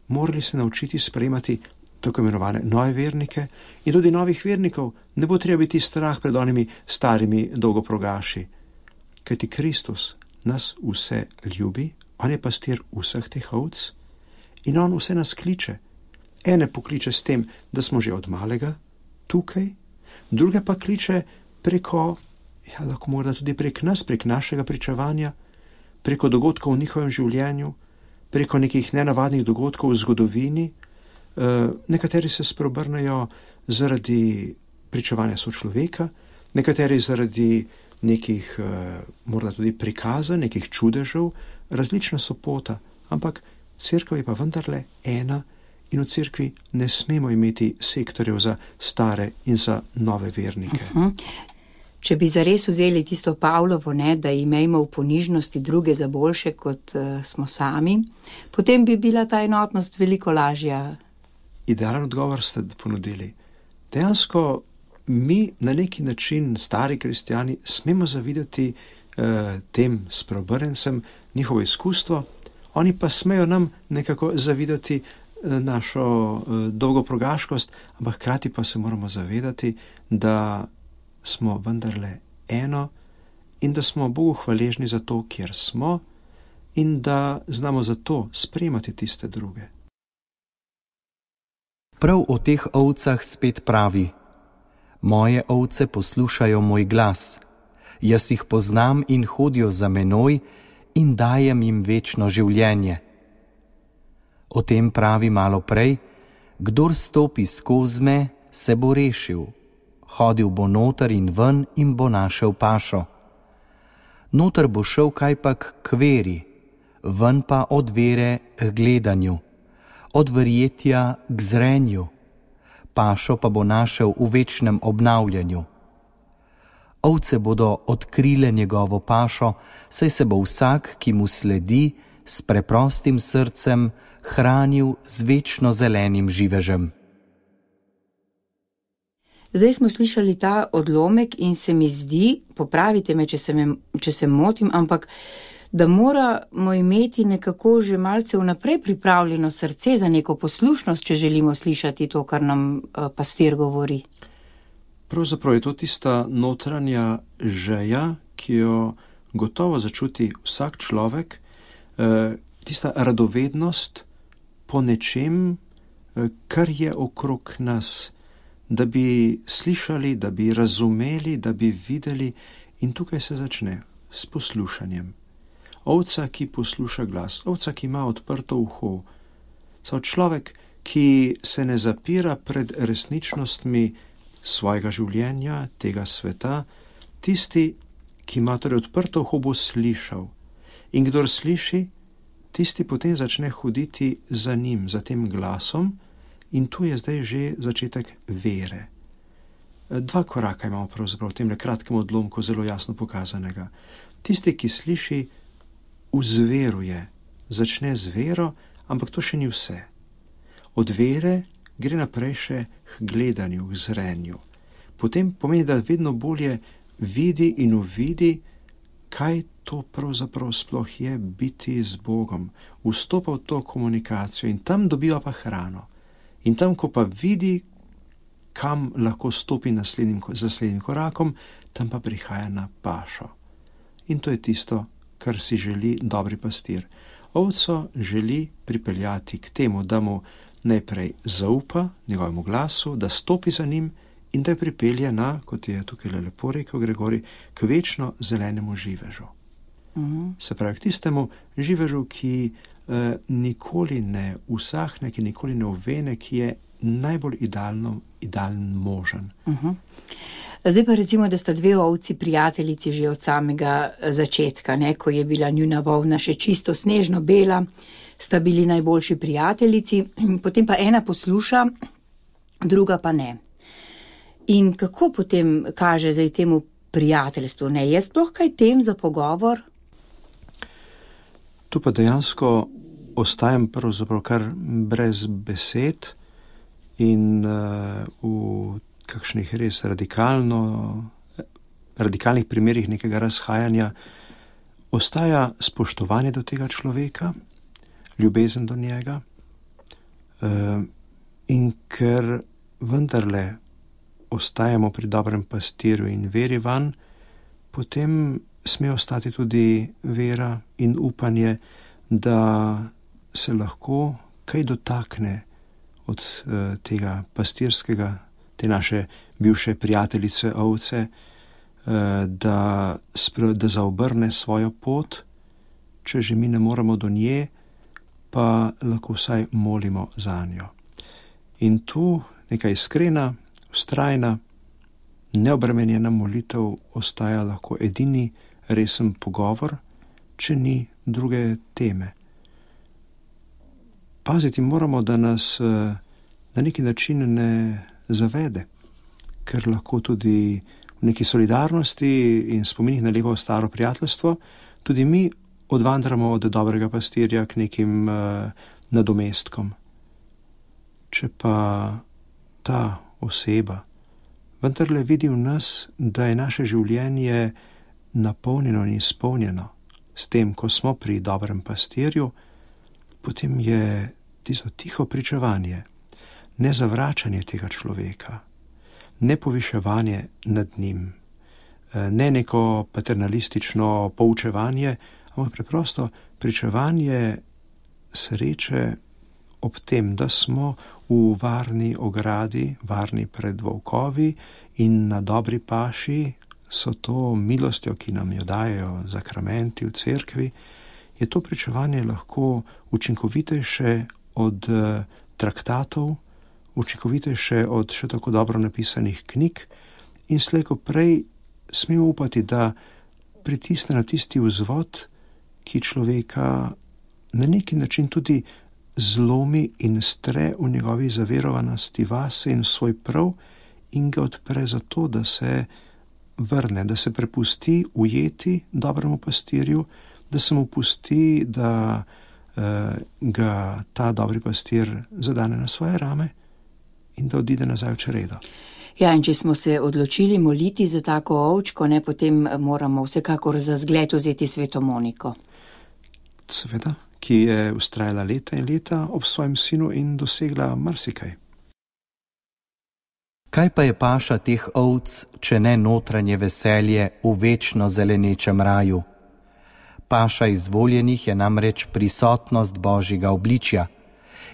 morali se naučiti sprejemati tako imenovane nove vernike in tudi novih vernikov. Ne bo treba biti strah pred onimi starimi dolgoprogaši, kajti Kristus nas vse ljubi, on je pastir vseh teh ovc in on vse nas kliče. Ene pokliče s tem, da smo že od malega tukaj, druge pa kliče preko, lahko morda tudi prek nas, prek našega pričevanja, preko dogodkov v njihovem življenju, preko nekih nenavadnih dogodkov v zgodovini. Nekateri se spreobrnejo zaradi pričevanja sočloveka, nekateri zaradi nekih morda tudi prikaza, nekih čudežev, različna so pota, ampak cerkev je pa vendarle ena in v cerkvi ne smemo imeti sektorjev za stare in za nove vernike. Če bi zares vzeli tisto Pavlovo, ne, da imejmo v ponižnosti druge za boljše, kot smo sami, potem bi bila ta enotnost veliko lažja. Idealen odgovor ste ponudili. Dejansko mi na neki način, stari kristjani, smemo zavidati tem spreobrnencem njihovo izkustvo, oni pa smejo nam nekako zavidati našo dolgoprogaškost, ampak hkrati pa se moramo zavedati, da smo vendarle eno in da smo Bogu hvaležni za to, kjer smo in da znamo za to sprejemati tiste druge. Prav o teh ovcah spet pravi: moje ovce poslušajo moj glas, jaz jih poznam in hodijo za menoj in dajem jim večno življenje. O tem pravi malo prej: kdor stopi skozi me, se bo rešil, hodil bo noter in ven in bo našel pašo. Noter bo šel kajpak k veri, ven pa od vere k gledanju, od verjetja k zrenju, pašo pa bo našel v večnem obnavljanju. Ovce bodo odkrile njegovo pašo, saj se bo vsak, ki mu sledi, s preprostim srcem hranil z večno zelenim živežem. Zdaj smo slišali ta odlomek in se mi zdi, popravite me, če se motim, ampak da moramo imeti nekako že malce vnaprej pripravljeno srce za neko poslušnost, če želimo slišati to, kar nam pastir govori. Pravzaprav je to tista notranja želja, ki jo gotovo začuti vsak človek, tista radovednost po nečem, kar je okrog nas, da bi slišali, da bi razumeli, da bi videli, in tukaj se začne s poslušanjem. Ovca, ki posluša glas, ovca, ki ima odprto uho, človek, ki se ne zapira pred resničnostmi svojega življenja, tega sveta, tisti, ki ima torej odprto uho, bo slišal. In kdor sliši, tisti potem začne hoditi za njim, za tem glasom, in tu je zdaj že začetek vere. Dva koraka imamo pravzaprav v tem kratkem odlomku zelo jasno pokazanega. Tisti, ki sliši, vzveruje, začne z vero, ampak to še ni vse. Od vere gre naprej še k gledanju, k zrenju. Potem pomeni, da vedno bolje vidi in uvidi, kaj to pravzaprav sploh je biti z Bogom. Vstopa v to komunikacijo in tam dobiva pa hrano. In tam, ko pa vidi, kam lahko stopi naslednjim korakom, tam pa prihaja na pašo. In to je tisto, kar si želi dobri pastir. Ovco želi pripeljati k temu, da mu najprej zaupa njegovemu glasu, da stopi za njim in da jo pripelje na, kot je tukaj lepo rekel Gregorij, k večno zelenemu živežu. Se pravi, k tistemu živežu, ki nikoli ne usahne, ki nikoli ne ovene, ki je najbolj idealen možen. Zdaj pa recimo, da sta dve ovci prijateljici že od samega začetka, ne? Ko je bila njuna volna še čisto snežno bela, sta bili najboljši prijateljici, potem pa ena posluša, druga pa ne. In kako potem kaže zdaj temu prijateljstvu? Ne, je sploh kaj tem za pogovor? Tu pa dejansko ostajam pravzaprav kar brez besed in v kakšnih res radikalnih primerih nekega razhajanja ostaja spoštovanje do tega človeka, ljubezen do njega, in ker vendarle ostajamo pri dobrem pastirju in veri vanj, potem sme ostati tudi vera in upanje, da se lahko kaj dotakne od tega pastirskega, te naše bivše prijateljice ovce, da zaobrne svojo pot, če že mi ne moremo do nje, pa lahko vsaj molimo zanjo. In tu neka iskrena, vztrajna, neobremenjena molitev ostaja lahko edini resen pogovor, če ni druge teme. Paziti moramo, da nas na neki način ne zavede, ker lahko tudi v neki solidarnosti in spominih na lepo staro prijateljstvo tudi mi odvandramo od dobrega pastirja k nekim nadomestkom. Če pa ta oseba vendarle vidi v nas, da je naše življenje napolnjeno in izpolnjeno s tem, ko smo pri dobrem pastirju, potem je tisto tiho pričevanje, ne zavračanje tega človeka, ne poviševanje nad njim, ne neko paternalistično poučevanje, ampak preprosto pričevanje sreče ob tem, da smo v varni ogradi, varni pred volkovi in na dobri paši, so to milostjo, ki nam jo dajejo zakramenti v cerkvi, je to pričevanje lahko učinkovitejše od traktatov, učinkovitejše od še tako dobro napisanih knjig in slej ko prej smemo upati, da pritisne na tisti vzvod, ki človeka na neki način tudi zlomi in stre v njegovi zaverovanosti vase in svoj prav in ga odpre za to, da se vrne, da se prepusti ujeti dobremu pastirju, da se mu pusti, da ga ta dobri pastir zadane na svoje rame in da odide nazaj v čredo. Ja, in če smo se odločili moliti za tako ovčko, ne, potem moramo vsekakor za zgled vzeti sveto Moniko. Seveda, ki je vztrajala leta in leta ob svojem sinu in dosegla marsikaj. Kaj pa je paša teh ovc, če ne notranje veselje v večno zelenečem raju? Paša izvoljenih je namreč prisotnost Božjega obličja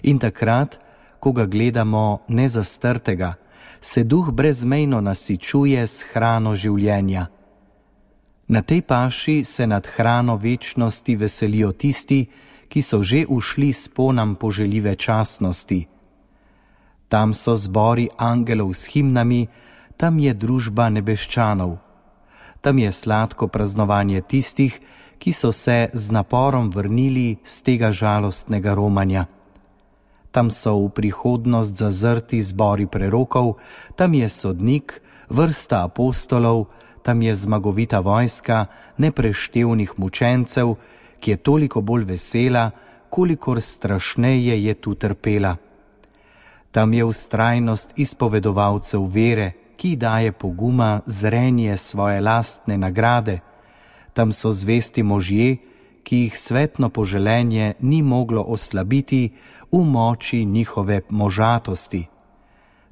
in takrat, ko ga gledamo nezastrtega, se duh brezmejno nasičuje s hrano življenja. Na tej paši se nad hrano večnosti veselijo tisti, ki so že ušli s ponam poželjive častnosti. Tam so zbori angelov s himnami, tam je družba nebeščanov. Tam je sladko praznovanje tistih, ki so se z naporom vrnili z tega žalostnega romanja. Tam so v prihodnost zazrti zbori prerokov, tam je sodnik, vrsta apostolov, tam je zmagovita vojska nepreštevnih mučencev, ki je toliko bolj vesela, kolikor strašneje je tu trpela. Tam je vztrajnost izpovedovalcev vere, ki daje poguma zrenje svoje lastne nagrade. Tam so zvesti možje, ki jih svetno poželenje ni moglo oslabiti v moči njihove možatosti.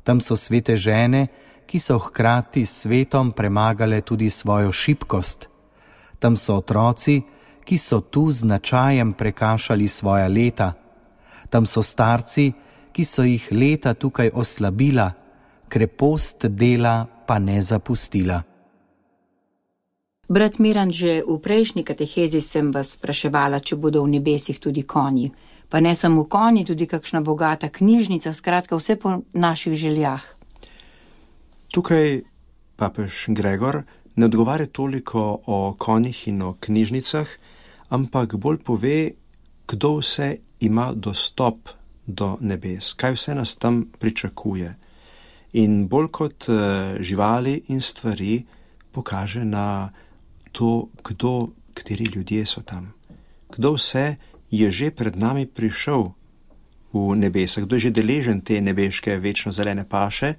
Tam so svete žene, ki so hkrati s svetom premagale tudi svojo šibkost. Tam so otroci, ki so tu z značajem prekašali svoja leta. Tam so starci, ki so jih leta tukaj oslabila, krepost dela pa ne zapustila. Brat Miran, že v prejšnji katehezi sem vas spraševala, če bodo v nebesih tudi konji. Pa ne samo konji, tudi kakšna bogata knjižnica, skratka vse po naših željah. Tukaj papež Gregor ne odgovarja toliko o konjih in o knjižnicah, ampak bolj pove, kdo vse ima dostop do nebes, kaj vse nas tam pričakuje. In bolj kot živali in stvari pokaže na to, kateri ljudje so tam. Kdo vse je že pred nami prišel v nebesa, kdo je že deležen te nebeške večno zelene paše,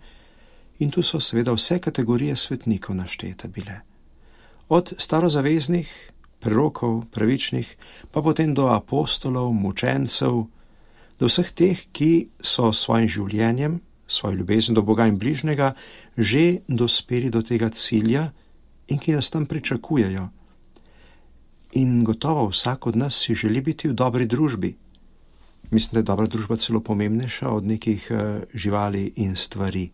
in tu so seveda vse kategorije svetnikov naštete bile. Od starozaveznih, prerokov, pravičnih, pa potem do apostolov, mučencev, do vseh teh, ki so svojim življenjem, svojo ljubezen do Boga in bližnjega že dospeli do tega cilja in ki nas tam pričakujejo. In gotovo vsak od nas si želi biti v dobri družbi. Mislim, da je dobra družba celo pomembnejša od nekih živali in stvari,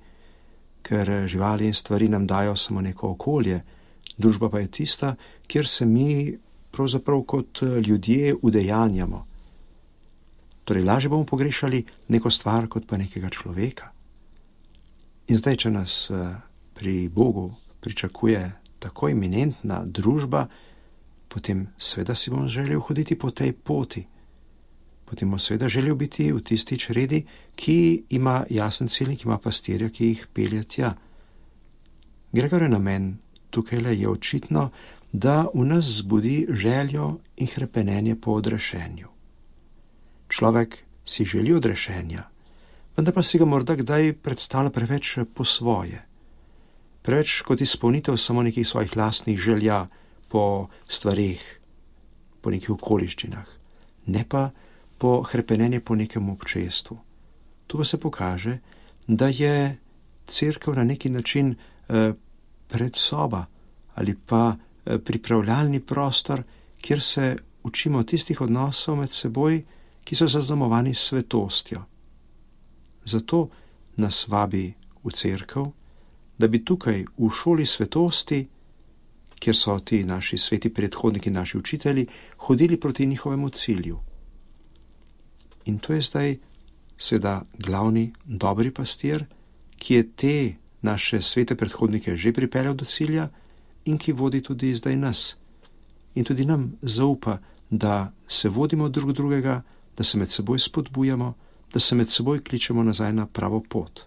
ker živali in stvari nam dajo samo neko okolje, družba pa je tista, kjer se mi pravzaprav kot ljudje udejanjamo. Torej, lažje bomo pogrešali neko stvar kot pa nekega človeka. In zdaj, če nas pri Bogu pričakuje tako eminentna družba, potem seveda si bom želel hoditi po tej poti. Potem bom seveda želel biti v tisti čredi, ki ima jasen cilj, ki ima pastirja, ki jih pelje tja. Gregor je namen tukaj je očitno, da v nas zbudi željo in hrepenenje po odrešenju. Človek si želi odrešenja, vendar pa si ga morda kdaj predstavlja preveč po svoje. Preveč kot izpolnitev samo nekih svojih lastnih želja po stvarih, po nekih okoliščinah, ne pa po hrepenenje po nekem občestvu. Tu pa se pokaže, da je cerkev na neki način predsoba ali pa pripravljalni prostor, kjer se učimo tistih odnosov med seboj, ki so zaznamovani s svetostjo. Zato nas vabi v cerkev, da bi tukaj v šoli svetosti, kjer so ti naši sveti predhodniki, naši učitelji, hodili proti njihovemu cilju. In to je zdaj seveda glavni dobri pastir, ki je te naše svete predhodnike že pripeljal do cilja in ki vodi tudi zdaj nas. In tudi nam zaupa, da se vodimo drug drugega, da se med seboj spodbujamo, da se med seboj kličemo nazaj na pravo pot.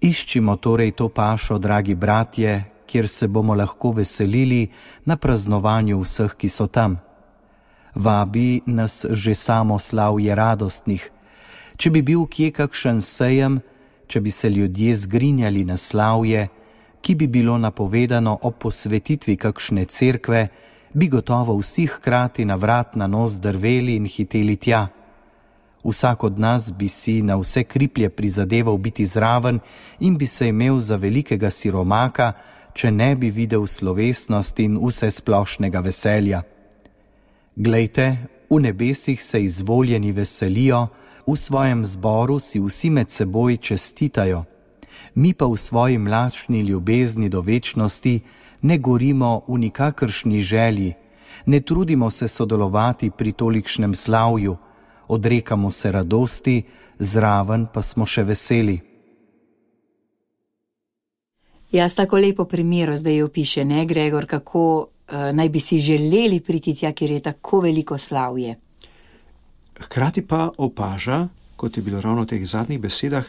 Iščimo torej to pašo, dragi bratje, kjer se bomo lahko veselili na praznovanju vseh, ki so tam. Vabi nas že samo slavje radostnih. Če bi bil kje kakšen sejem, če bi se ljudje zgrinjali na slavje, ki bi bilo napovedano ob posvetitvi kakšne cerkve, bi gotovo vsi hkrati na vrat na nos drveli in hiteli tja. Vsak od nas bi si na vse kriplje prizadeval biti zraven in bi se imel za velikega siromaka, če ne bi videl slovesnost in vse splošnega veselja. Glejte, v nebesih se izvoljeni veselijo, v svojem zboru si vsi med seboj čestitajo. Mi pa v svoji mlačni ljubezni do večnosti ne gorimo v nikakršni želji, ne trudimo se sodelovati pri tolikšnem slavju, odrekamo se radosti, zraven pa smo še veseli. Jaz tako lepo primero zdaj opiše, ne, Gregor, kako naj bi si želeli priti tja, kjer je tako veliko slavje. Hkrati pa opaža, kot je bilo ravno v teh zadnjih besedah,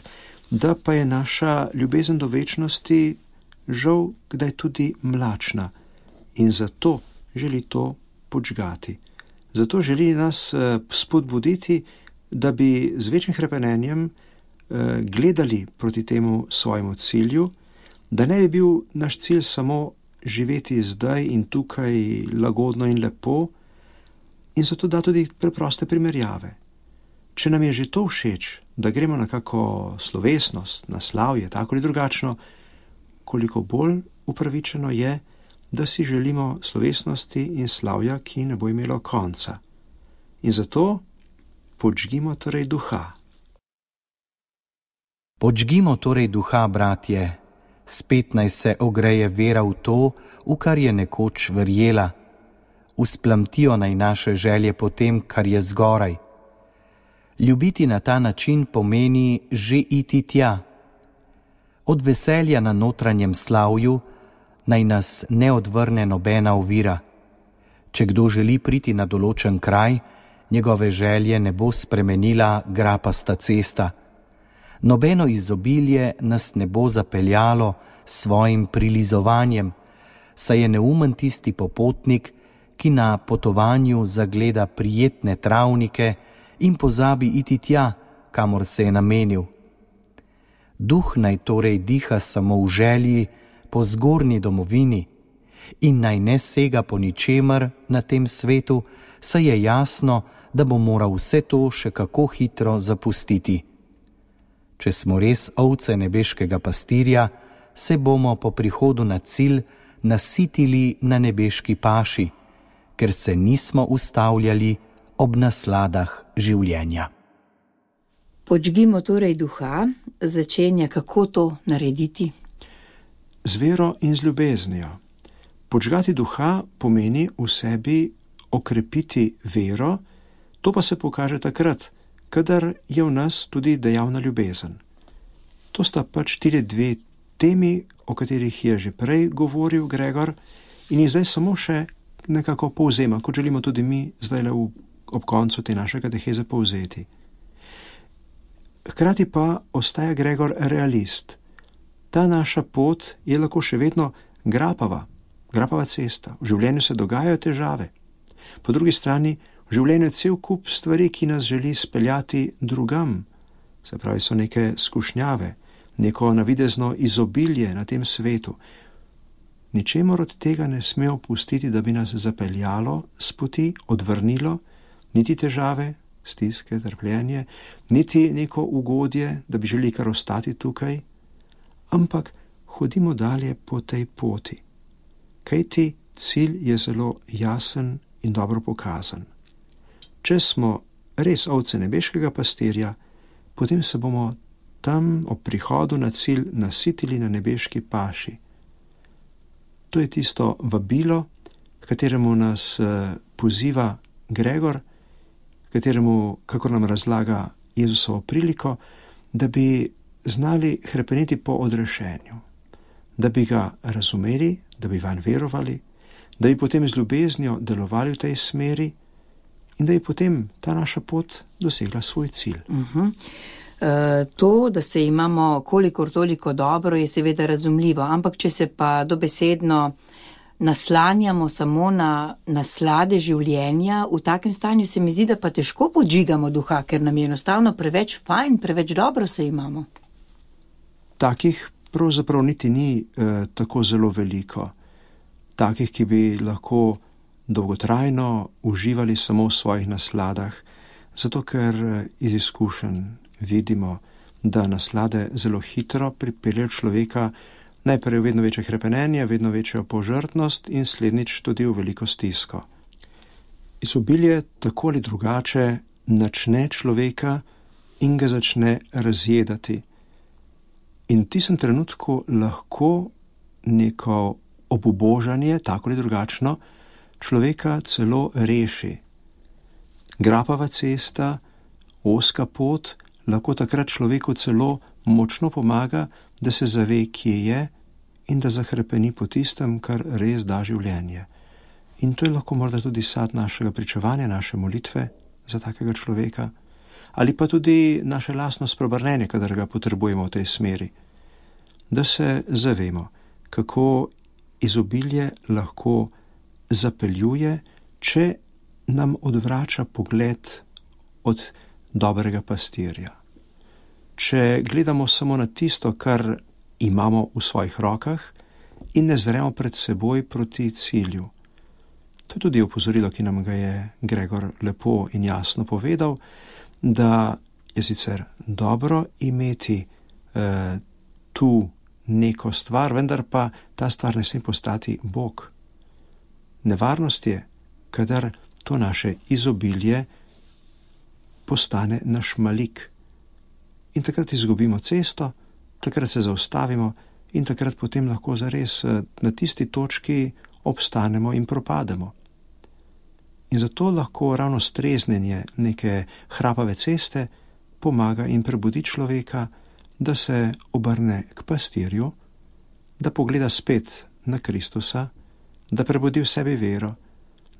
da pa je naša ljubezen do večnosti žal kdaj tudi mlačna in zato želi to podžgati. Zato želi nas spodbuditi, da bi z večjim hrepenenjem gledali proti temu svojemu cilju, da ne bi bil naš cilj samo živeti zdaj in tukaj lagodno in lepo, in zato da tudi preproste primerjave. Če nam je že to všeč, da gremo na kako slovesnost, na slavje, tako ali drugačno, koliko bolj upravičeno je, da si želimo slovesnosti in slavja, ki ne bo imelo konca. In zato podžgimo torej duha. Podžgimo torej duha, bratje, spet naj se ogreje vera v to, v kar je nekoč verjela. Usplamtijo naj naše želje po tem, kar je zgoraj. Ljubiti na ta način pomeni že iti tja. Od veselja na notranjem slavju naj nas ne odvrne nobena ovira. Če kdo želi priti na določen kraj, njegove želje ne bo spremenila grapasta cesta. Nobeno izobilje nas ne bo zapeljalo s svojim prilizovanjem, saj je neumen tisti popotnik, ki na potovanju zagleda prijetne travnike in pozabi iti tja, kamor se je namenil. Duh naj torej diha samo v želji po zgornji domovini in naj ne sega po ničemer na tem svetu, saj je jasno, da bo moral vse to še kako hitro zapustiti. Če smo res ovce nebeškega pastirja, se bomo po prihodu na cilj nasitili na nebeški paši, ker se nismo ustavljali ob nasladah življenja. Podžgimo torej duha, začenja kako to narediti? Z vero in z ljubeznijo. Podžgati duha pomeni v sebi okrepiti vero, to pa se pokaže takrat, kadar je v nas tudi dejavna ljubezen. To sta pač tile dve temi, o katerih je že prej govoril Gregor in jih zdaj samo še nekako povzema, kot želimo tudi mi zdaj ob koncu te naše kateheze povzeti. Hkrati pa ostaja Gregor realist. Ta naša pot je lahko še vedno grapava cesta. V življenju se dogajajo težave. Po drugi strani v življenju je cel kup stvari, ki nas želi speljati drugam. Se pravi, so neke skušnjave, neko navidezno izobilje na tem svetu. Ničemor od tega ne smemo pustiti, da bi nas zapeljalo s poti, odvrnilo, niti težave, stiske, trpljenje, niti neko ugodje, da bi želeli kar ostati tukaj, ampak hodimo dalje po tej poti. Kajti cilj je zelo jasen in dobro pokazan. Če smo res ovce nebeškega pastirja, potem se bomo tam ob prihodu na cilj nasitili na nebeški paši. To je tisto vabilo, kateremu nas poziva Gregor, kateremu, kakor nam razlaga Jezusovo priliko, da bi znali hrepeneti po odrešenju, da bi ga razumeli, da bi vanj verovali, da bi potem z ljubeznijo delovali v tej smeri in da bi potem ta naša pot dosegla svoj cilj. To, da se imamo kolikor toliko dobro, je seveda razumljivo, ampak če se pa dobesedno naslanjamo samo na naslade življenja, v takem stanju se mi zdi, da pa težko podžigamo duha, ker nam je enostavno preveč fajn, preveč dobro se imamo. Takih pravzaprav niti ni tako zelo veliko. Takih, ki bi lahko dolgotrajno uživali samo v svojih nasladah, zato ker iz izkušenj vidimo, da naslade zelo hitro pripeljejo človeka najprej v vedno večje hrepenenje, vedno večjo požrtnost in slednjič tudi v veliko stisko. Izobilje tako ali drugače načne človeka in ga začne razjedati. In v tistem trenutku lahko neko obubožanje, tako ali drugačno, človeka celo reši. Grapava cesta, ozka pot, lahko takrat človeku celo močno pomaga, da se zave, kje je in da zahrepeni po tistem, kar res da življenje. In to je lahko morda tudi sad našega pričevanja, naše molitve za takega človeka, ali pa tudi naše lastno spreobrnenje, kadar ga potrebujemo v tej smeri. Da se zavemo, kako izobilje lahko zapeljuje, če nam odvrača pogled od dobrega pastirja. Če gledamo samo na tisto, kar imamo v svojih rokah in ne zremo pred seboj proti cilju. To je tudi opozorilo, ki nam ga je Gregor lepo in jasno povedal, da je sicer dobro imeti tu neko stvar, vendar pa ta stvar ne sme postati Bog. Nevarnost je, kadar to naše izobilje postane naš malik. in takrat izgubimo cesto, takrat se zaustavimo in takrat potem lahko zares na tisti točki obstanemo in propademo. In zato lahko ravno streznenje neke hrapave ceste pomaga in prebudi človeka, da se obrne k pastirju, da pogleda spet na Kristusa, da prebudi v sebi vero,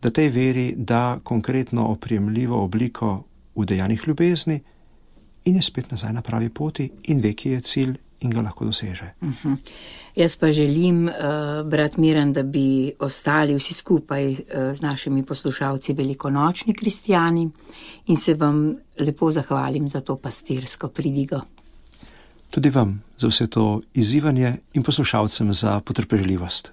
da tej veri da konkretno oprijemljivo obliko v dejanjih ljubezni in je spet nazaj na pravi poti in ve, ki je cilj in ga lahko doseže. Jaz pa želim, brat Miran, da bi ostali vsi skupaj z našimi poslušalci velikonočni kristjani in se vam lepo zahvalim za to pastirsko pridigo. Tudi vam za vse to izzivanje in poslušalcem za potrpežljivost.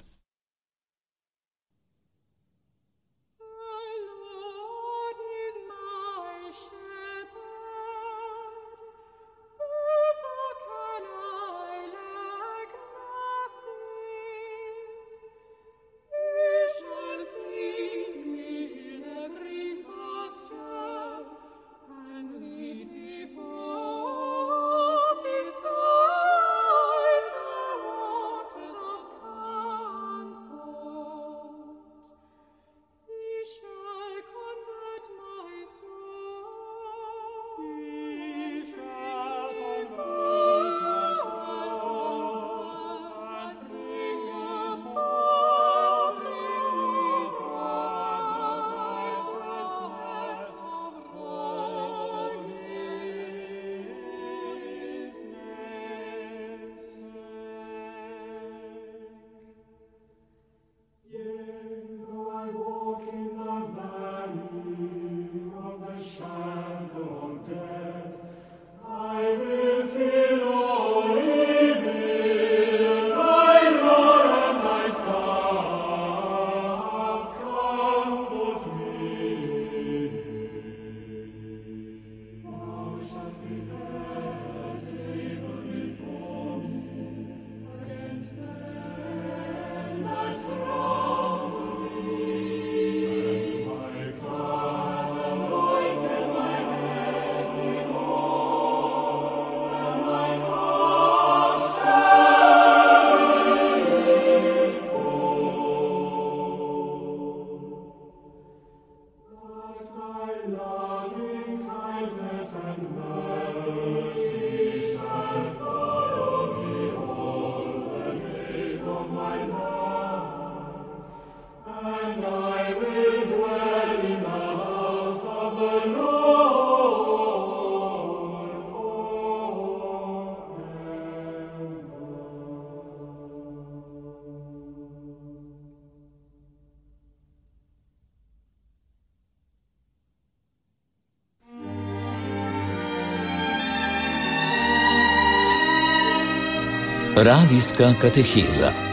Radijska kateheza.